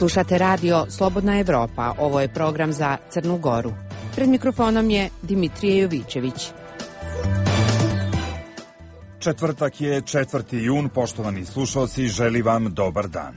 Slušate radio Slobodna Evropa. Ovo je program za Crnu Goru. Pred mikrofonom je Dimitrije Jovićević. Četvrtak je 4. jun. Poštovani slušalci, želim vam dobar dan.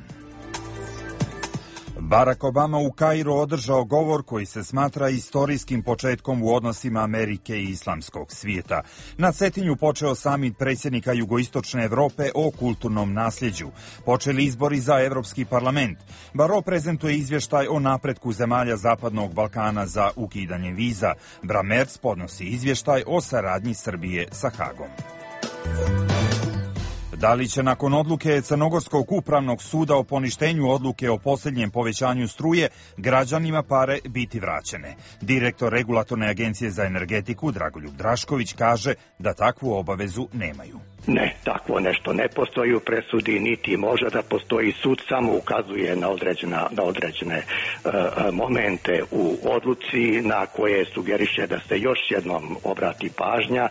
Barack Obama u Kairu održao govor koji se smatra istorijskim početkom u odnosima Amerike i islamskog svijeta. Na Cetinju počeo samit predsjednika Jugoistočne Evrope o kulturnom nasljeđu. Počeli izbori za Evropski parlament. Baro prezentuje izvještaj o napretku zemalja Zapadnog Balkana za ukidanje viza. Bramerc podnosi izvještaj o saradnji Srbije sa Hagom. Da li će nakon odluke Crnogorskog upravnog suda o poništenju odluke o posljednjem povećanju struje građanima pare biti vraćene? Direktor Regulatorne agencije za energetiku Dragoljub Drašković kaže da takvu obavezu nemaju. Ne, takvo nešto ne postoji u presudi, niti može da postoji. Sud samo ukazuje na određene momente u odluci na koje sugeriše da se još jednom obrati pažnja.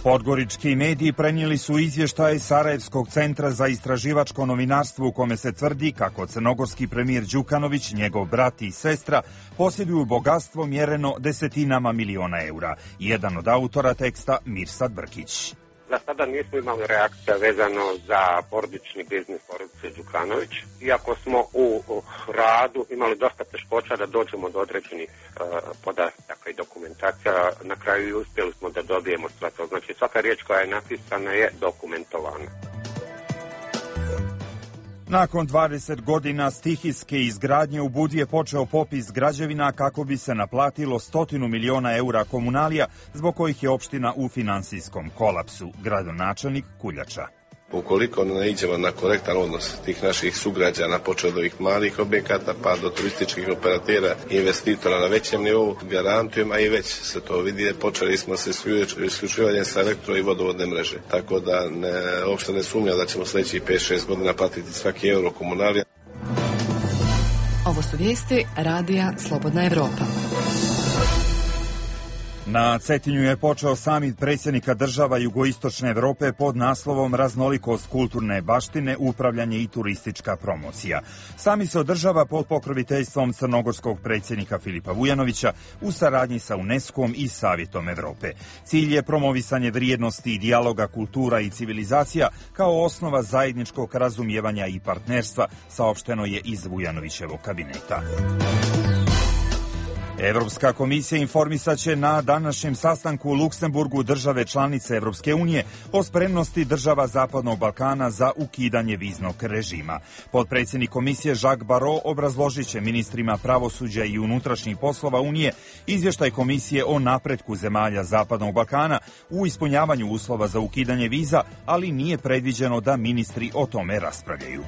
Podgorički mediji prenijeli su izvještaj Sarajevskog centra za istraživačko novinarstvo u kome se tvrdi kako crnogorski premijer Đukanović, njegov brat i sestra posjeduju bogatstvo mjereno desetinama miliona eura. Jedan od autora teksta Mirsad Brkić. Za sada nismo imali reakcija vezano za porodični biznis porodice Đukanović. Iako smo u radu imali dosta teškoća da dođemo do određenih podataka i dokumentacija, na kraju uspjeli smo da dobijemo sve to. Znači svaka riječ koja je napisana je dokumentovana. Nakon 20 godina stihijske izgradnje u Budvi je počeo popis građevina kako bi se naplatilo 100 miliona eura komunalija zbog kojih je opština u finansijskom kolapsu. Gradonačelnik Kuljača. Ukoliko ne naiđemo na korektan odnos tih naših sugrađana, počeo od ovih malih objekata pa do turističkih operatera i investitora na većem nivou, garantujem, a i već se to vidi, počeli smo se isključivanjem sa elektro i vodovodne mreže. Tako da uopšte ne sumnjam da ćemo sljedećih 5-6 godina platiti svaki euro komunalija. Ovo su vijesti radija Slobodna Evropa. Na Cetinju je počeo samit predsjednika država Jugoistočne Evrope pod naslovom Raznolikost kulturne baštine, upravljanje i turistička promocija. Samit se održava pod pokroviteljstvom crnogorskog predsjednika Filipa Vujanovića u saradnji sa UNESCO-om i Savjetom Evrope. Cilj je promovisanje vrijednosti i dijaloga kultura i civilizacija kao osnova zajedničkog razumijevanja i partnerstva, saopšteno je iz Vujanovićevog kabineta. Evropska komisija informisat će na današnjem sastanku u Luksemburgu države članice Evropske unije o spremnosti država Zapadnog Balkana za ukidanje viznog režima. Potpredsjednik komisije Jacques Barrot obrazložit će ministrima pravosuđa i unutrašnjih poslova Unije izvještaj komisije o napretku zemalja Zapadnog Balkana u ispunjavanju uslova za ukidanje viza, ali nije predviđeno da ministri o tome raspravljaju.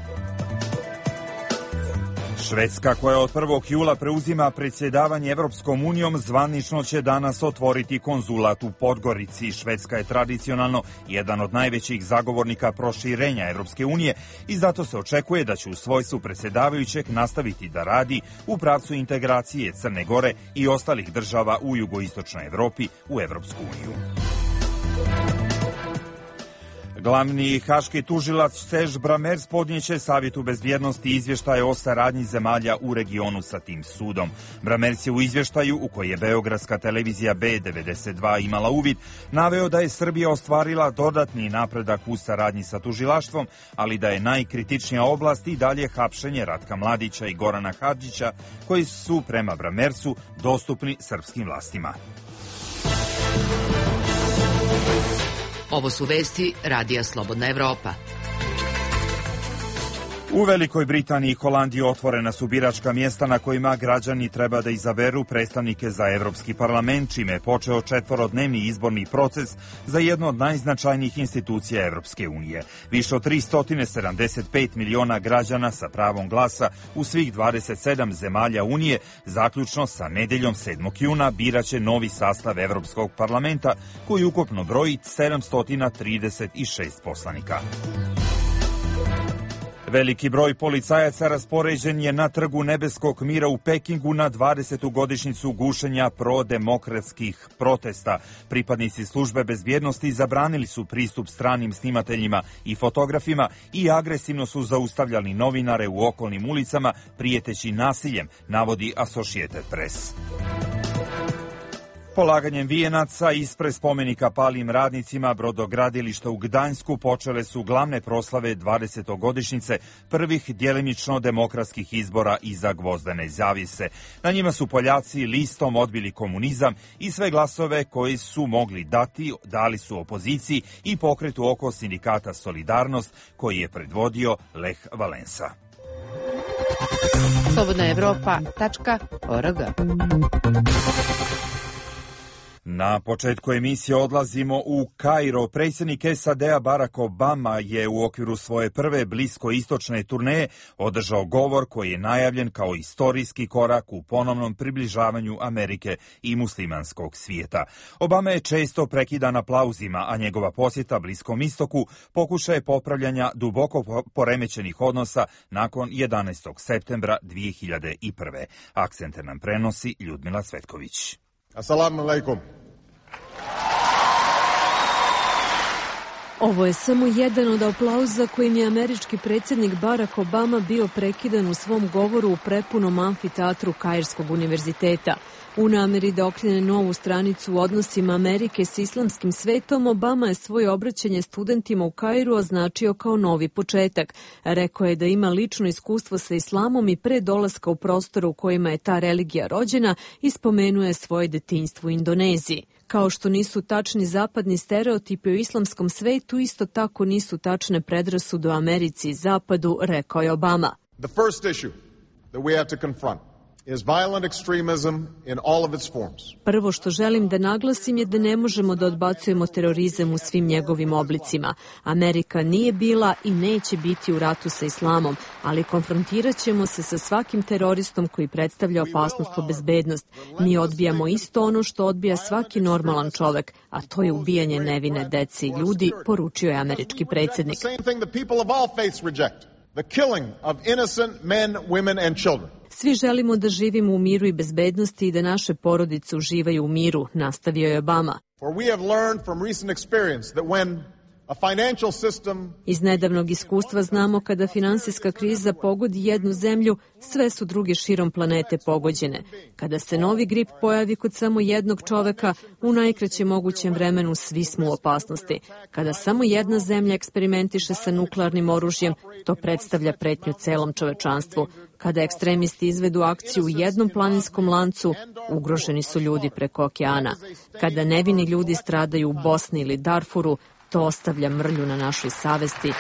Švedska, koja od 1. jula preuzima predsjedavanje Evropskom unijom, zvanično će danas otvoriti konzulat u Podgorici. Švedska je tradicionalno jedan od najvećih zagovornika proširenja Evropske unije i zato se očekuje da će u svojstvu predsjedavajućeg nastaviti da radi u pravcu integracije Crne Gore i ostalih država u jugoistočnoj Evropi u Evropsku uniju. Glavni haški tužilac Serge Bramerc podnijeće Savjetu bezbjednosti izvještaje o saradnji zemalja u regionu sa tim sudom. Bramerc je u izvještaju, u koji je beogradska televizija B92 imala uvid, naveo da je Srbija ostvarila dodatni napredak u saradnji sa tužilaštvom, ali da je najkritičnija oblast i dalje hapšenje Ratka Mladića i Gorana Hadžića, koji su prema Bramercu dostupni srpskim vlastima. Ovo su vesti radija Slobodna Evropa. U Velikoj Britaniji i Holandiji otvorena su biračka mjesta na kojima građani treba da izaberu predstavnike za Evropski parlament, čime je počeo 4-dnevni izborni proces za jednu od najznačajnijih institucija Evropske unije. Više od 375 miliona građana sa pravom glasa u svih 27 zemalja Unije, zaključno sa nedeljom 7. juna, biraće novi sastav Evropskog parlamenta, koji ukupno broji 736 poslanika. Veliki broj policajaca raspoređen je na Trgu nebeskog mira u Pekingu na 20. godišnjicu gušenja prodemokratskih protesta. Pripadnici službe bezbjednosti zabranili su pristup stranim snimateljima i fotografima i agresivno su zaustavljali novinare u okolnim ulicama prijeteći nasiljem, navodi Associated Press. Polaganjem vijenaca ispred spomenika palim radnicima brodogradilišta u Gdańsku počele su glavne proslave 20. godišnjice prvih djelimično demokratskih izbora iza gvozdene zavjese. Na njima su Poljaci listom odbili komunizam i sve glasove koji su mogli dati dali su opoziciji i pokretu oko sindikata Solidarnost koji je predvodio Lech Valensa. slobodnaevropa.org. Na početku emisije odlazimo u Kairo. Predsjednik SAD-a Barack Obama je u okviru svoje prve bliskoistočne turneje održao govor koji je najavljen kao istorijski korak u ponovnom približavanju Amerike i muslimanskog svijeta. Obama je često prekidan aplauzima, a njegova posjeta Bliskom istoku pokušaj je popravljanja duboko poremećenih odnosa nakon 11. septembra 2001. Akcente nam prenosi Ljudmila Cvetković. Assalamu alaikum. Ovo je samo jedan od aplauza kojim je američki predsjednik Barack Obama bio prekidan u svom govoru u prepunom amfiteatru Kairskog univerziteta. U namjeri da okrene novu stranicu u odnosima Amerike s islamskim svetom, Obama je svoje obraćanje studentima u Kairu označio kao novi početak. Rekao je da ima lično iskustvo sa islamom i pre dolaska u prostor u kojima je ta religija rođena i spomenuje svoje detinjstvo u Indoneziji. Kao što nisu tačni zapadni stereotipi o islamskom svetu, isto tako nisu tačne predrasude o Americi i Zapadu, rekao je Obama. The first issue that we have to confront is violent extremism in all of its forms. Prvo što želim da naglasim je da ne možemo da odbacujemo terorizam u svim njegovim oblicima. Amerika nije bila i neće biti u ratu sa islamom, ali konfrontirat ćemo se sa svakim teroristom koji predstavlja opasnost po bezbednost. Mi odbijamo isto ono što odbija svaki normalan čovek, a to je ubijanje nevine dece i ljudi, poručio je američki predsjednik. The killing of innocent men, women and children. Svi želimo da živimo u miru i bezbednosti i da naše porodice uživaju u miru, nastavio je Obama. For we have learned from recent experience that when a financial system... Iz nedavnog iskustva znamo kada finansijska kriza pogodi jednu zemlju, sve su druge širom planete pogođene. Kada se novi grip pojavi kod samo jednog čoveka, u najkraćem mogućem vremenu svi smo u opasnosti. Kada samo jedna zemlja eksperimentiše sa nuklearnim oružjem, to predstavlja pretnju celom čovečanstvu. Kada ekstremisti izvedu akciju u jednom planinskom lancu, ugroženi su ljudi preko okeana. Kada nevini ljudi stradaju u Bosni ili Darfuru, to ostavlja mrlju na našoj savesti.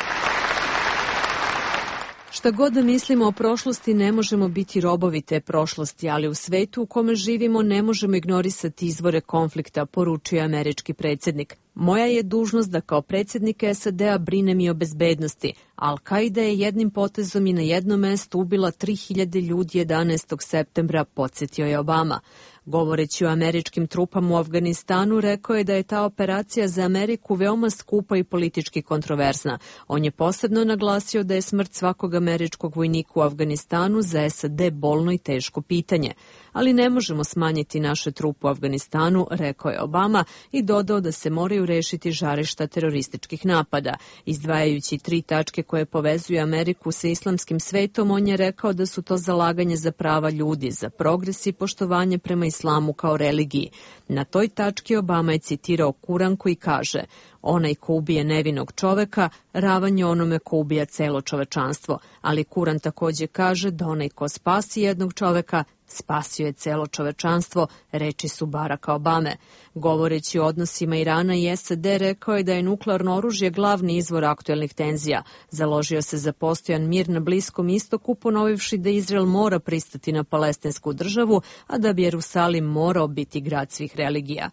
Šta god da mislimo o prošlosti, ne možemo biti robovi te prošlosti, ali u svetu u kome živimo ne možemo ignorisati izvore konflikta, poručio je američki predsjednik. Moja je dužnost da kao predsjednik SAD-a brinem i o bezbednosti. Al-Kaida je jednim potezom i na jednom mestu ubila 3000 ljudi 11. septembra, podsjetio je Obama. Govoreći o američkim trupama u Afganistanu, rekao je da je ta operacija za Ameriku veoma skupa i politički kontroverzna. On je posebno naglasio da je smrt svakog američkog vojnika u Afganistanu za SAD bolno i teško pitanje. Ali ne možemo smanjiti naše trupe u Afganistanu, rekao je Obama i dodao da se moraju rešiti žarišta terorističkih napada. Izdvajajući 3 tačke koje povezuju Ameriku sa islamskim svetom, on je rekao da su to zalaganje za prava ljudi, za progres i poštovanje prema islamu kao religiji. Na toj tački Obama je citirao Kuran koji kaže: onaj ko ubije nevinog čoveka, ravan je onome ko ubija celo čovečanstvo. Ali Kuran takođe kaže da onaj ko spasi jednog čoveka, spasio je celo čovečanstvo, reči su Baracka Obame. Govoreći o odnosima Irana i SAD, rekao je da je nuklearno oružje glavni izvor aktuelnih tenzija. Založio se za postojan mir na Bliskom istoku, ponovivši da Izrael mora pristati na palestinsku državu, a da bi Jerusalim morao biti grad svih religija.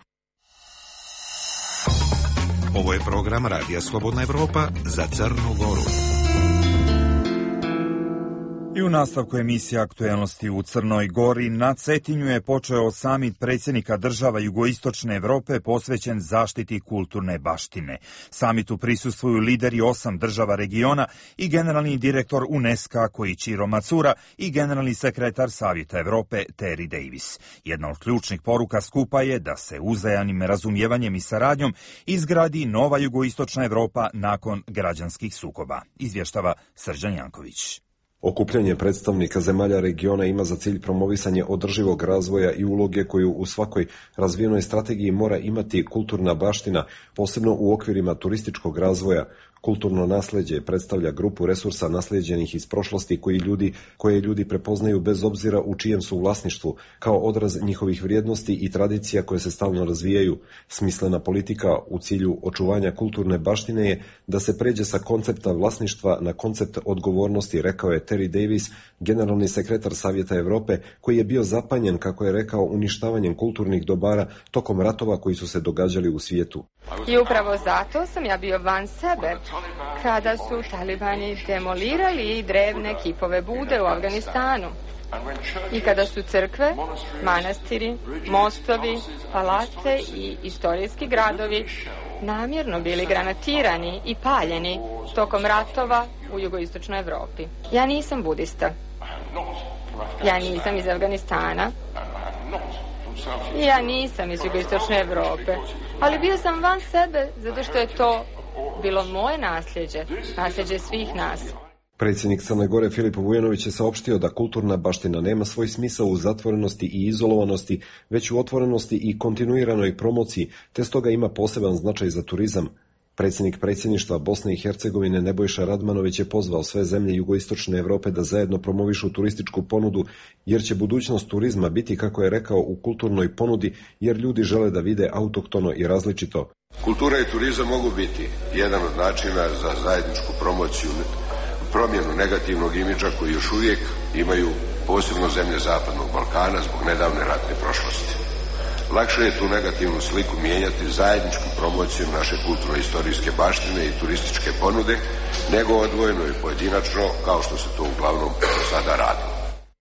Ovo je program Radija Slobodna Evropa za Crnu Goru. I u nastavku emisije Aktuelnosti u Crnoj Gori na Cetinju je počeo samit predsjednika država jugoistočne Evrope posvećen zaštiti kulturne baštine. Samitu prisustvuju lideri 8 država regiona i generalni direktor UNESCO-a Koichiro Matsura i generalni sekretar Savjeta Evrope Terry Davis. Jedna od ključnih poruka skupa je da se uzajamnim razumijevanjem i saradnjom izgradi nova jugoistočna Evropa nakon građanskih sukoba. Izvještava Srđan Janković. Okupljanje predstavnika zemalja regiona ima za cilj promovisanje održivog razvoja i uloge koju u svakoj razvijenoj strategiji mora imati kulturna baština, posebno u okvirima turističkog razvoja. Kulturno nasljeđe predstavlja grupu resursa naslijeđenih iz prošlosti koje ljudi prepoznaju bez obzira u čijem su vlasništvu, kao odraz njihovih vrijednosti i tradicija koje se stalno razvijaju. Smislena politika u cilju očuvanja kulturne baštine je da se pređe sa koncepta vlasništva na koncept odgovornosti, rekao je Terry Davis, generalni sekretar Savjeta Europe, koji je bio zapanjen, kako je rekao, uništavanjem kulturnih dobara tokom ratova koji su se događali u svijetu. I upravo zato sam ja bio van sebe kada su talibani demolirali drevne kipove Bude u Afganistanu i kada su crkve, manastiri, mostovi, palate i istorijski gradovi namjerno bili granatirani i paljeni tokom ratova u jugoistočnoj Evropi. Ja nisam budista. Ja nisam iz Afganistana. Ja nisam iz jugoistočne Evrope. Ali bio sam van sebe zato što je to bilo moje nasljeđe svih nas. Predsjednik Crne Gore Filip Vujanović je saopštio da kulturna baština nema svoj smisao u zatvorenosti i izolovanosti, već u otvorenosti i kontinuiranoj promociji, te stoga ima poseban značaj za turizam. Predsjednik predsjedništva Bosne i Hercegovine Nebojša Radmanović je pozvao sve zemlje jugoistočne Europe da zajedno promovišu turističku ponudu, jer će budućnost turizma biti, kako je rekao, u kulturnoj ponudi, jer ljudi žele da vide autohtono i različito. Kultura i turizam mogu biti jedan od načina za zajedničku promociju, promjenu negativnog imidža koji još uvijek imaju posebno zemlje Zapadnog Balkana zbog nedavne ratne prošlosti. Lakše je tu negativnu sliku mijenjati zajedničkom promocijom naše kulturno-istorijske baštine i turističke ponude, nego odvojeno i pojedinačno, kao što se to uglavnom sada radi.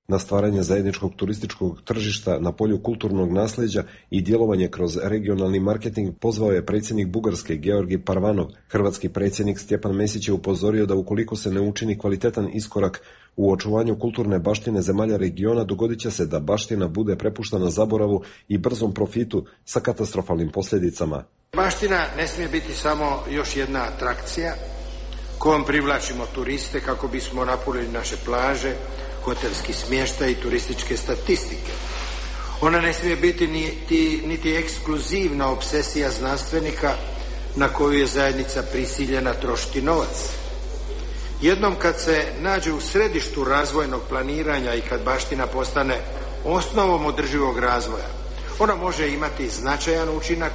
Na stvaranje zajedničkog turističkog tržišta na polju kulturnog nasljeđa i djelovanje kroz regionalni marketing pozvao je predsjednik Bugarske Georgi Parvanov. Hrvatski predsjednik Stjepan Mesić je upozorio da ukoliko se ne učini kvalitetan iskorak u očuvanju kulturne baštine zemalja regiona, dogodit će se da baština bude prepuštena zaboravu i brzom profitu sa katastrofalnim posljedicama. Baština ne smije biti samo još jedna atrakcija kojom privlačimo turiste kako bismo napunili naše plaže, hotelski smještaj i turističke statistike. Ona ne smije biti niti ekskluzivna obsesija znanstvenika na koju je zajednica prisiljena trošiti novac. Jednom kad se nađe u središtu razvojnog planiranja i kad baština postane osnovom održivog razvoja, ona može imati značajan učinak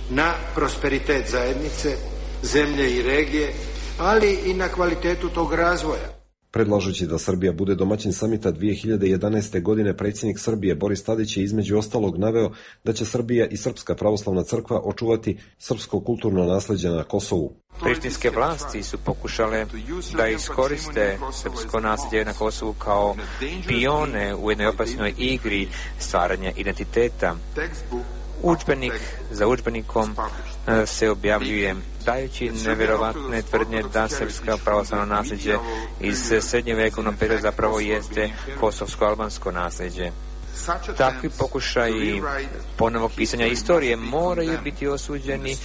na prosperitet zajednice, zemlje i regije, ali i na kvalitetu tog razvoja. Predlažući da Srbija bude domaćin samita 2011. godine, predsjednik Srbije Boris Tadić je između ostalog naveo da će Srbija i Srpska pravoslavna crkva očuvati srpsko kulturno nasljeđe na Kosovu. Prištinske vlasti su pokušale da iskoriste srpsko nasljeđe na Kosovu kao pione u jednoj opasnoj igri stvaranja identiteta. Udžbenik za udžbenikom se objavljuje dajući nevjerovatne tvrdnje da srpska pravoslavno nasljeđe iz srednjovjekovnog perioda zapravo jeste kosovsko-albansko nasljeđe. Takvi pokušaji ponovnog pisanja istorije moraju biti osuđeni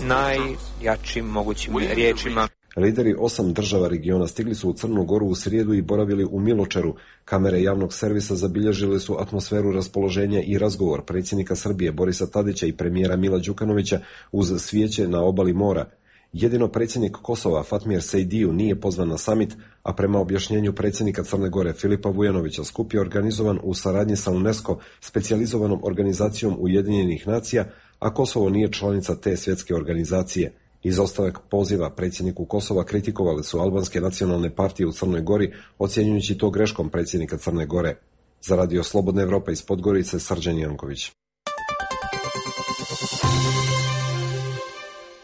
najjačim mogućim riječima. Lideri 8 država regiona stigli su u Crnu Goru u srijedu i boravili u Miločeru. Kamere javnog servisa zabilježile su atmosferu raspoloženja i razgovor predsjednika Srbije Borisa Tadića i premijera Mila Đukanovića uz svijeće na obali mora. Jedino predsjednik Kosova Fatmir Sejdiju nije pozvan na samit, a prema objašnjenju predsjednika Crne Gore Filipa Vujanovića skup je organizovan u saradnji sa UNESCO, specijalizovanom organizacijom Ujedinjenih nacija, a Kosovo nije članica te svjetske organizacije. Izostavak poziva predsjedniku Kosova kritikovali su albanske nacionalne partije u Crnoj Gori, ocjenjujući to greškom predsjednika Crne Gore. Za Radio Slobodna Evropa iz Podgorice, Srđan Janković.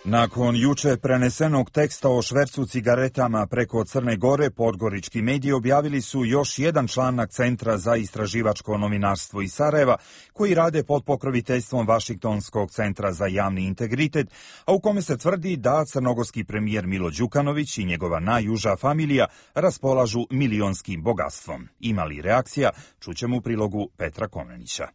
Nakon juče prenesenog teksta o švercu cigaretama preko Crne Gore, podgorički mediji objavili su još jedan članak Centra za istraživačko novinarstvo iz Sarajeva, koji rade pod pokroviteljstvom Vašingtonskog centra za javni integritet, a u kome se tvrdi da crnogorski premijer Milo Đukanović i njegova najuža familija raspolažu milionskim bogatstvom. Ima li reakcija? Čućemo u prilogu Petra Komnenića.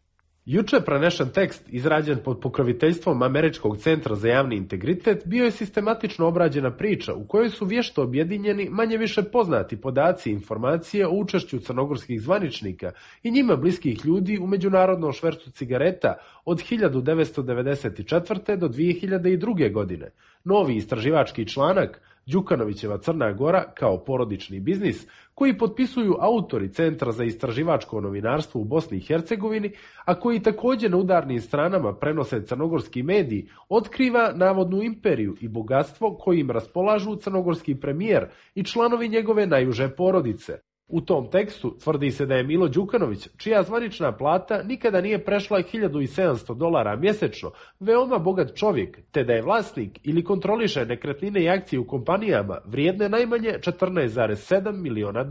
Juče prenešen tekst, izrađen pod pokroviteljstvom Američkog centra za javni integritet, bio je sistematično obrađena priča u kojoj su vješto objedinjeni manje više poznati podaci i informacije o učešću crnogorskih zvaničnika i njima bliskih ljudi u međunarodnom švercu cigareta od 1994. do 2002. godine. Novi istraživački članak Đukanovićeva Crna Gora kao porodični biznis, koji potpisuju autori Centra za istraživačko novinarstvo u Bosni i Hercegovini, a koji također na udarnim stranama prenose crnogorski mediji, otkriva navodnu imperiju i bogatstvo kojim raspolažu crnogorski premijer i članovi njegove najuže porodice. U tom tekstu tvrdi se da je Milo Đukanović, čija zvanična plata nikada nije prešla $1.700 mjesečno, veoma bogat čovjek, te da je vlasnik ili kontroliše nekretnine i akcije u kompanijama vrijedne najmanje $14,7 miliona.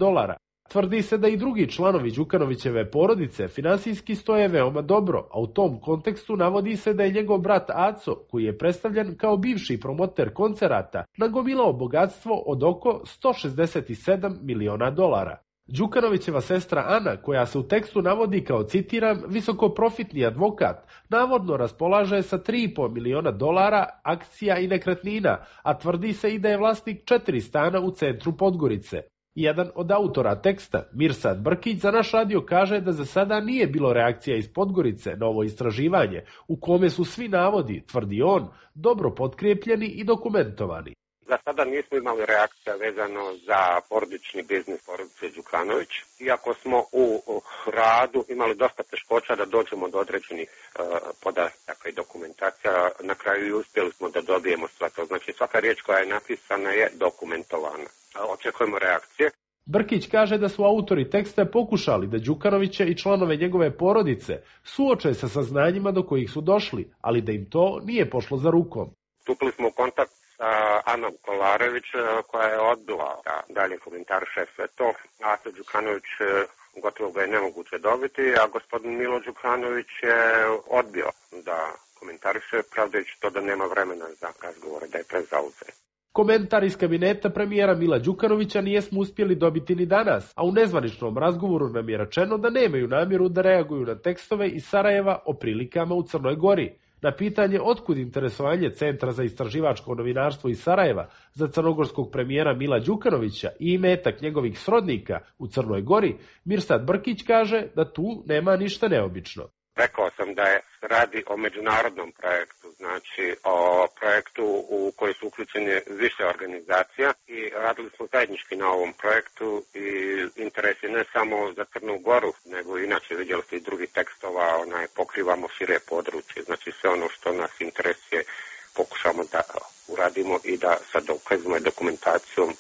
Tvrdi se da i drugi članovi Đukanovićeve porodice finansijski stoje veoma dobro, a u tom kontekstu navodi se da je njegov brat Aco, koji je predstavljen kao bivši promoter koncerata, nagomilao bogatstvo od oko $167 miliona. Đukanovićeva sestra Ana, koja se u tekstu navodi kao, citiram, visokoprofitni advokat, navodno raspolaže sa $3,5 miliona akcija i nekretnina, a tvrdi se i da je vlasnik 4 stana u centru Podgorice. Jedan od autora teksta, Mirsad Brkić, za naš radio kaže da za sada nije bilo reakcija iz Podgorice na ovo istraživanje, u kome su svi navodi, tvrdi on, dobro potkrijepljeni i dokumentovani. Za sada nismo imali reakcija vezano za porodični biznis porodice Đukanović, iako smo u radu imali dosta teškoća da dođemo do određenih podataka i dokumentacija. Na kraju i uspjeli smo da dobijemo sve to. Znači svaka riječ koja je napisana je dokumentovana. Očekujemo reakcije. Brkić kaže da su autori teksta pokušali da Đukanovića i članove njegove porodice suoče sa saznanjima do kojih su došli, ali da im to nije pošlo za rukom. Stupili smo u kontakt sa Anom Kolarević, koja je odbila da dalje komentariše sve to. Aco Đukanović gotovo ga je nemoguće dobiti, a gospodin Milo Đukanović je odbio da komentariše, pravdajući to da nema vremena za razgovore, da je prezauzet. Komentar iz kabineta premijera Mila Đukanovića nijesmo uspjeli dobiti ni danas, a u nezvaničnom razgovoru nam je rečeno da nemaju namjeru da reaguju na tekstove iz Sarajeva o prilikama u Crnoj Gori. Na pitanje otkud interesovanje Centra za istraživačko novinarstvo iz Sarajeva za crnogorskog premijera Mila Đukanovića i imetak njegovih srodnika u Crnoj Gori, Mirsad Brkić kaže da tu nema ništa neobično. Rekao sam da je radi o međunarodnom projektu, znači o projektu u koji su uključene više organizacija i radili smo zajednički na ovom projektu i interes je ne samo za Crnu Goru, nego inače vidjeli ste i drugih tekstova, pokrivamo šire područje, znači sve ono što nas interesuje pokušamo da uradimo i da sa dokazima i dokumentacijom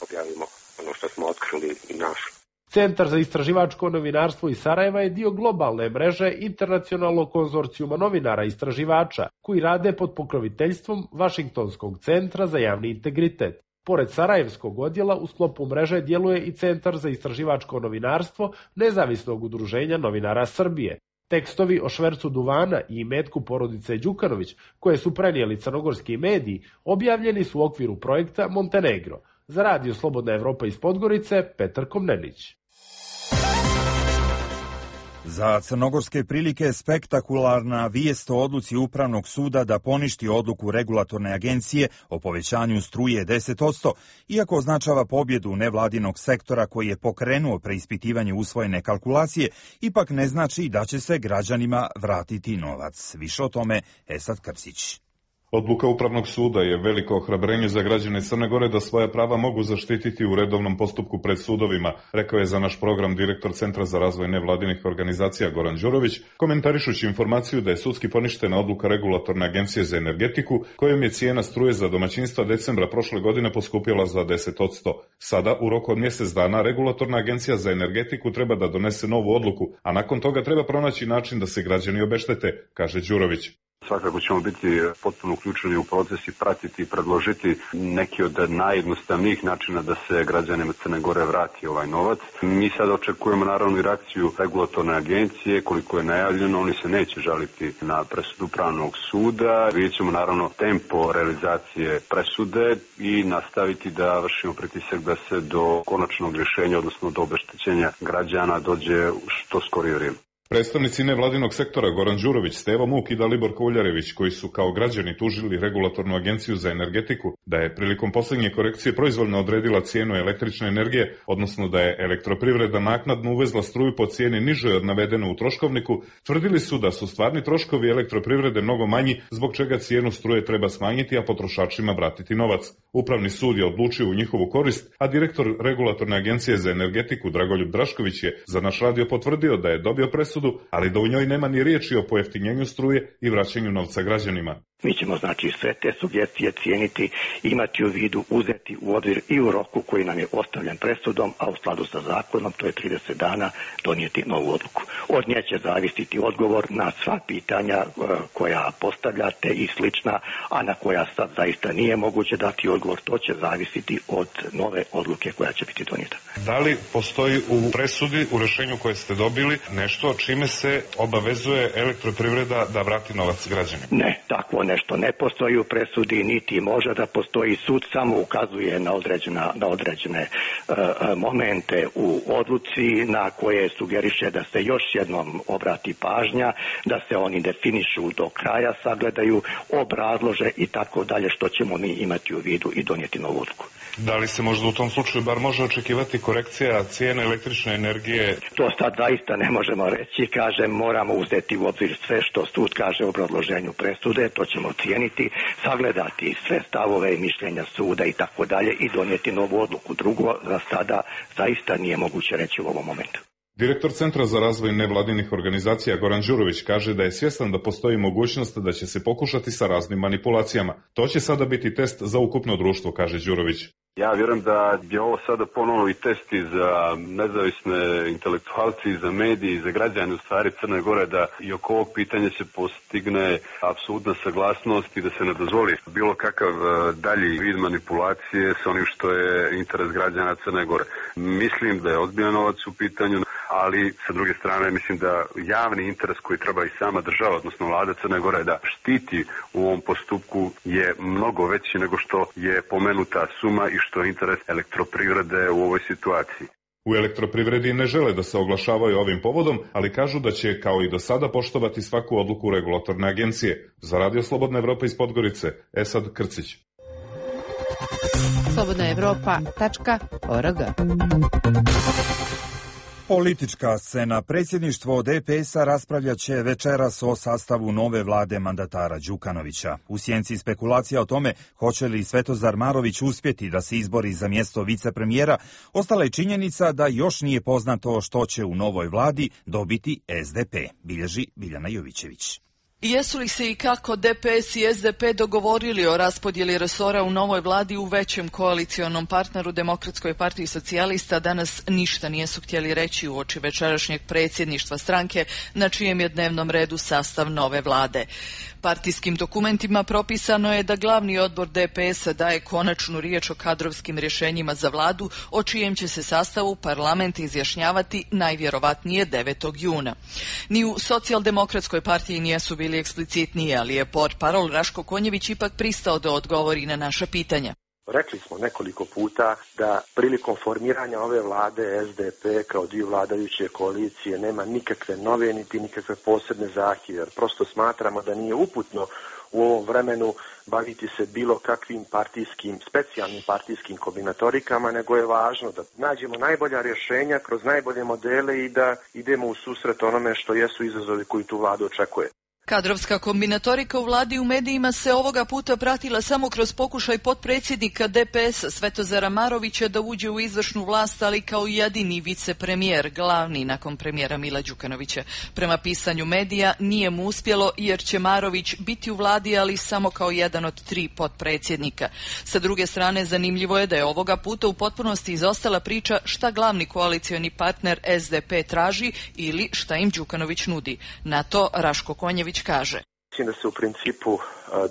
objavimo ono što smo otkrili i našli. Centar za istraživačko novinarstvo iz Sarajeva je dio globalne mreže internacionalnog konzorcijuma novinara i istraživača koji rade pod pokroviteljstvom Vašingtonskog centra za javni integritet. Pored Sarajevskog odjela u sklopu mreže djeluje i Centar za istraživačko novinarstvo Nezavisnog udruženja novinara Srbije. Tekstovi o švercu duvana i imetku porodice Đukanović, koje su prenijeli crnogorski mediji, objavljeni su u okviru projekta Montenegro. Za radio Slobodna Evropa iz Podgorice, Petar Komnenić. Za crnogorske prilike spektakularna vijest o odluci Upravnog suda da poništi odluku regulatorne agencije o povećanju struje 10%, iako označava pobjedu nevladinog sektora koji je pokrenuo preispitivanje usvojene kalkulacije, ipak ne znači da će se građanima vratiti novac. Više o tome Esad Krsić. Odluka Upravnog suda je veliko ohrabrenje za građane Crne Gore da svoja prava mogu zaštititi u redovnom postupku pred sudovima, rekao je za naš program direktor Centra za razvoj nevladinih organizacija Goran Đurović, komentarišući informaciju da je sudski poništena odluka Regulatorne agencije za energetiku, kojom je cijena struje za domaćinstva decembra prošle godine poskupjela za 10%. Sada, u roku od mjesec dana, Regulatorna agencija za energetiku treba da donese novu odluku, a nakon toga treba pronaći način da se građani obeštete, kaže Đurović. Svakako ćemo biti potpuno uključeni u proces i pratiti i predložiti neki od najjednostavnijih načina da se građanima Crne Gore vrati ovaj novac. Mi sad očekujemo naravno i reakciju regulatorne agencije, koliko je najavljeno, oni se neće žaliti na presudu Pravnog suda. Vidjet ćemo naravno tempo realizacije presude i nastaviti da vršimo pritisak da se do konačnog rješenja, odnosno do obeštećenja građana dođe u što skorije vrijeme. Predstavnici nevladinog sektora Goran Đurović, Stevo Muk i Dalibor Kouljarević, koji su kao građani tužili regulatornu agenciju za energetiku da je prilikom posljednje korekcije proizvoljno odredila cijenu električne energije, odnosno da je elektroprivreda naknadno uvezla struju po cijeni nižoj od navedene u troškovniku, tvrdili su da su stvarni troškovi elektroprivrede mnogo manji, zbog čega cijenu struje treba smanjiti, a potrošačima vratiti novac. Upravni sud je odlučio u njihovu korist, a direktor regulatorne agencije za energetiku Dragoljub Drašković je za naš radio potvrdio da je dobio presudu, ali da u njoj nema ni riječi o pojeftinjenju struje i vraćanju novca građanima. Mi ćemo znači sve te sugestije cijeniti, imati u vidu, uzeti u obzir i u roku koji nam je ostavljen presudom, a u skladu sa zakonom, to je 30 dana, donijeti novu odluku. Od nje će zavisiti odgovor na sva pitanja koja postavljate i slična, a na koja sad zaista nije moguće dati odgovor, to će zavisiti od nove odluke koja će biti donijeta. Da li postoji u presudi, u rješenju koje ste dobili, nešto čime se obavezuje elektroprivreda da vrati novac građanima? Ne, takvo nešto ne postoji u presudi, niti može da postoji. Sud samo ukazuje na određene momente u odluci na koje sugeriše da se još jednom obrati pažnja, da se oni definišu do kraja, sagledaju, obrazlože i tako dalje, što ćemo mi imati u vidu i donijeti novu odluku. Da li se možda u tom slučaju bar može očekivati korekcija cijene električne energije? To sad zaista ne možemo reći, kažem, moramo uzeti u obzir sve što sud kaže u obrazloženju presude, to ćemo cijeniti, sagledati sve stavove i mišljenja suda i tako dalje i donijeti novu odluku. Drugo, za sada zaista nije moguće reći u ovom momentu. Direktor Centra za razvoj nevladinih organizacija Goran Đurović kaže da je svjestan da postoji mogućnost da će se pokušati sa raznim manipulacijama. To će sada biti test za ukupno društvo, kaže Đurović. Ja vjerujem da je ovo sada ponovno i test i za nezavisne intelektualci, i za medije, i za građane u stvari Crne Gore, da i oko ovog pitanja se postigne apsolutna saglasnost i da se ne dozvoli bilo kakav dalji vid manipulacije sa onim što je interes građana Crne Gore. Mislim da je ozbiljan novac u pitanju, ali sa druge strane mislim da javni interes koji treba i sama država, odnosno vlada Crne Gore da štiti u ovom postupku je mnogo veći nego što je pomenuta suma i što je interes elektroprivrede u ovoj situaciji. U elektroprivredi ne žele da se oglašavaju ovim povodom, ali kažu da će kao i do sada poštovati svaku odluku regulatorne agencije. Za Radio Slobodna Evropa iz Podgorice, Esad Krcić. slobodnaevropa.org. Politička scena. Predsjedništvo DPS-a raspravljat će večeras o sastavu nove vlade mandatara Đukanovića. U sjenci spekulacija o tome hoće li Svetozar Marović uspjeti da se izbori za mjesto vicepremijera, ostala je činjenica da još nije poznato što će u novoj vladi dobiti SDP, bilježi Biljana Jovićević. Jesu li se i kako DPS i SDP dogovorili o raspodjeli resora u novoj vladi u većem koalicionom partneru Demokratskoj partiji socijalista, danas ništa nisu htjeli reći uoči večerašnjeg predsjedništva stranke, na čijem je dnevnom redu sastav nove vlade. Partijskim dokumentima propisano je da glavni odbor DPS-a daje konačnu riječ o kadrovskim rješenjima za vladu, o čijem će se sastavu parlament izjašnjavati najvjerovatnije 9. juna. Ni u Socijaldemokratskoj partiji nisu bili eksplicitniji, ali je portparol Raško Konjević ipak pristao da odgovori na naša pitanja. Rekli smo nekoliko puta da prilikom formiranja ove vlade SDP kao dio vladajuće koalicije nema nikakve nove niti nikakve posebne zahtjeve. Prosto smatramo da nije uputno u ovom vremenu baviti se bilo kakvim specijalnim partijskim kombinatorikama, nego je važno da nađemo najbolja rješenja kroz najbolje modele i da idemo u susret onome što jesu izazovi koji tu vladu očekuje. Kadrovska kombinatorika u vladi u medijima se ovoga puta pratila samo kroz pokušaj potpredsjednika DPS-a Svetozara Marovića da uđe u izvršnu vlast, ali kao jedini vicepremijer, glavni nakon premijera Mila Đukanovića. Prema pisanju medija nije mu uspjelo jer će Marović biti u vladi, ali samo kao jedan od 3 potpredsjednika. Sa druge strane, zanimljivo je da je ovoga puta u potpunosti izostala priča šta glavni koalicioni partner SDP traži ili šta im Đukanović nudi. Na to Raško Konjević kaže. Mislim da se u principu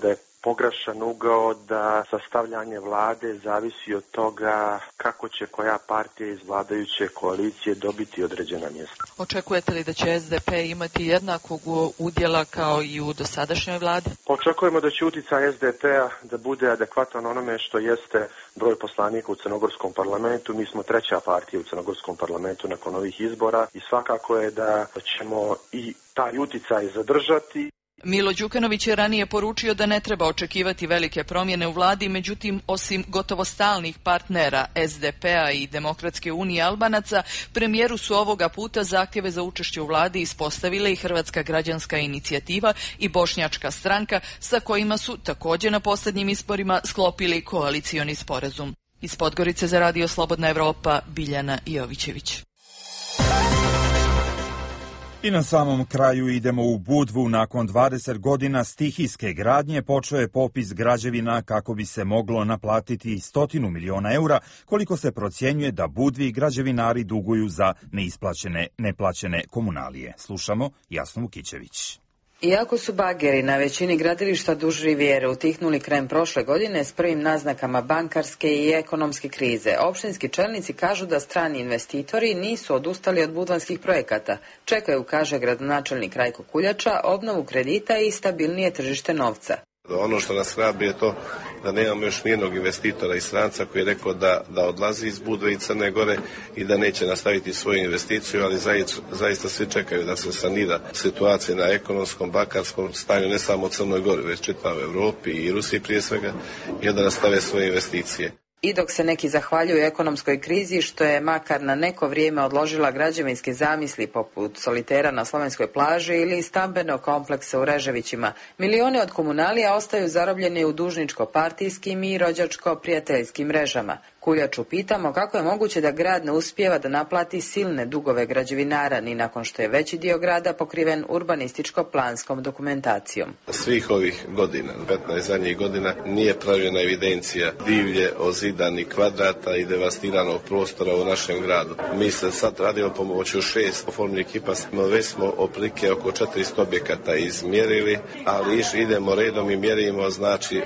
da je pogrešan ugao da sastavljanje vlade zavisi od toga kako će koja partija iz vladajuće koalicije dobiti određena mjesta. Očekujete li da će SDP imati jednakog udjela kao i u dosadašnjoj vladi? Očekujemo da će utjecaj SDP-a da bude adekvatan onome što jeste broj poslanika u crnogorskom parlamentu. Mi smo treća partija u crnogorskom parlamentu nakon ovih izbora i svakako je da ćemo i taj utjecaj zadržati. Milo Đukanović je ranije poručio da ne treba očekivati velike promjene u vladi, međutim, osim gotovo stalnih partnera SDP-a i Demokratske unije Albanaca, premijeru su ovoga puta zahtjeve za učešće u vladi ispostavile i Hrvatska građanska inicijativa i Bošnjačka stranka, sa kojima su također na posljednjim izborima sklopili koalicioni sporazum. Iz Podgorice za Radio Slobodna Evropa, Biljana Jovićević. I na samom kraju idemo u Budvu. Nakon 20 godina stihijske gradnje počeo je popis građevina kako bi se moglo naplatiti 100 miliona eura, koliko se procjenjuje da Budvi građevinari duguju za neplaćene komunalije. Slušamo Jasnu Vukićević. Iako su bageri na većini gradilišta duž rivijere utihnuli krajem prošle godine s prvim naznakama bankarske i ekonomske krize, opštinski čelnici kažu da strani investitori nisu odustali od budvanskih projekata. Čekaju, kaže gradonačelnik Rajko Kuljača, obnovu kredita i stabilnije tržište novca. Ono što nas hrabri je to da nemamo još nijednog investitora i stranca koji je rekao da odlazi iz Budve i Crne Gore i da neće nastaviti svoju investiciju, ali zaista svi čekaju da se sanira situacija na ekonomskom, bankarskom stanju, ne samo u Crnoj Gori, već čitavoj Europi i Rusiji prije svega, i onda nastave svoje investicije. I dok se neki zahvaljuju ekonomskoj krizi što je makar na neko vrijeme odložila građevinske zamisli poput solitera na slovenskoj plaži ili stambenog kompleksa u Reževićima, milioni od komunalija ostaju zarobljeni u dužničko-partijskim i rođačko-prijateljskim mrežama. Kuljaču pitamo kako je moguće da grad ne uspijeva da naplati silne dugove građevinara ni nakon što je veći dio grada pokriven urbanističko-planskom dokumentacijom. Svih ovih godina, 15 zadnjih godina, nije pravilna evidencija divlje ozidanih kvadrata i devastiranog prostora u našem gradu. Mi se sad radimo pomoću 6 oformljenih ekipa, već smo otprilike oko 400 objekata izmjerili, ali idemo redom i mjerimo znači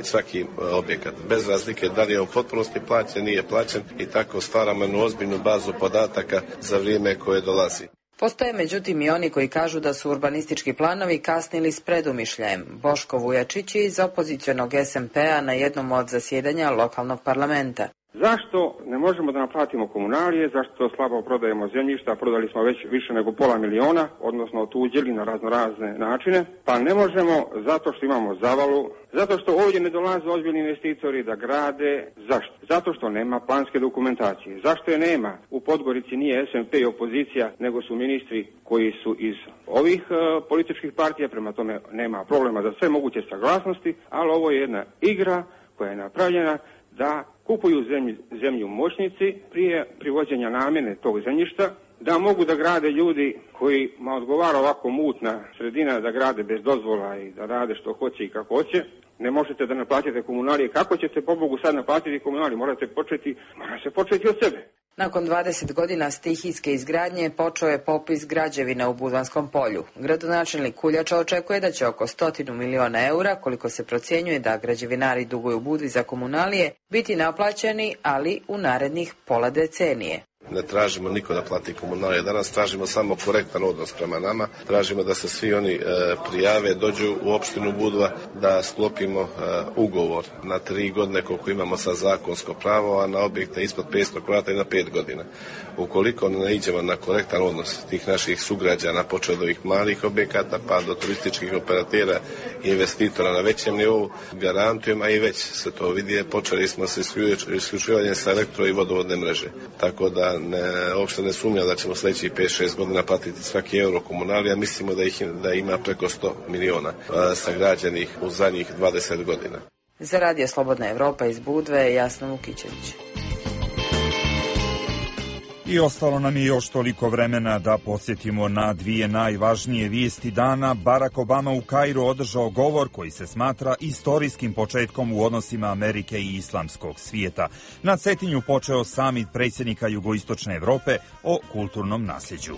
svaki objekat, bez razlike da li je u potpunosti plaćen, nije plaćen, i tako stvaramo jednu ozbiljnu bazu podataka za vrijeme koje dolazi. Postoje međutim i oni koji kažu da su urbanistički planovi kasnili s predumišljajem. Boško Vujačić je iz opozicionog SMP-a na jednom od zasjedanja lokalnog parlamenta. Zašto ne možemo da naplatimo komunalije, zašto slabo prodajemo zemljišta, prodali smo već više nego $500 000, odnosno otuđili na raznorazne načine, pa ne možemo zato što imamo zavalu, zato što ovdje ne dolaze ozbiljni investitori da grade. Zašto? Zato što nema planske dokumentacije. Zašto je nema? U Podgorici nije SMP i opozicija, nego su ministri koji su iz ovih političkih partija, prema tome nema problema za sve moguće saglasnosti, ali ovo je jedna igra koja je napravljena da kupuju zemlju moćnici prije privođenja namjene tog zemljišta, da mogu da grade ljudi kojima odgovara ovako mutna sredina, da grade bez dozvola i da rade što hoće i kako hoće. Ne možete da naplatite komunalije. Kako ćete pobogu sad naplatiti komunalije? Mora se početi od sebe. Nakon 20 godina stihijske izgradnje počeo je popis građevina u Budvanskom polju. Gradonačelnik Kuljača očekuje da će oko 100 miliona eura, koliko se procjenjuje da građevinari duguju u Budvi za komunalije, biti naplaćeni, ali u narednih pola decenije. Ne tražimo niko da plati komunalije. Danas tražimo samo korektan odnos prema nama. Tražimo da se svi oni prijave, dođu u opštinu Budva, da sklopimo ugovor na 3 godine koliko imamo sa zakonsko pravo, a na objekte ispod 500 kvadrata i na 5 godina. Ukoliko ne iđemo na korektan odnos tih naših sugrađana, počeo od ovih malih objekata pa do turističkih operatera i investitora na većem nivou, garantujem, a i već se to vidi, počeli smo sa isključivanjem sa elektro i vodovodne mreže. Tako da uopšte ne sumnjam da ćemo sljedećih 5-6 godina platiti svaki euro komunalija. Mislimo da ima preko 100 miliona sagrađenih u zadnjih 20 godina. Za Radio Slobodna Evropa iz Budve, Jasna Vukićević. I ostalo nam je još toliko vremena da podsjetimo na 2 najvažnije vijesti dana. Barack Obama u Kairu održao govor koji se smatra istorijskim početkom u odnosima Amerike i islamskog svijeta. Na Cetinju počeo samit predsjednika Jugoistočne Evrope o kulturnom nasljeđu.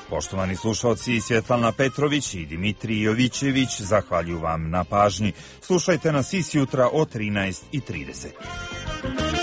Poštovani slušalci, Svjetlana Petrović i Dimitrij Jovićević zahvaljuju vam na pažnji. Slušajte nas i sjutra o 13:30.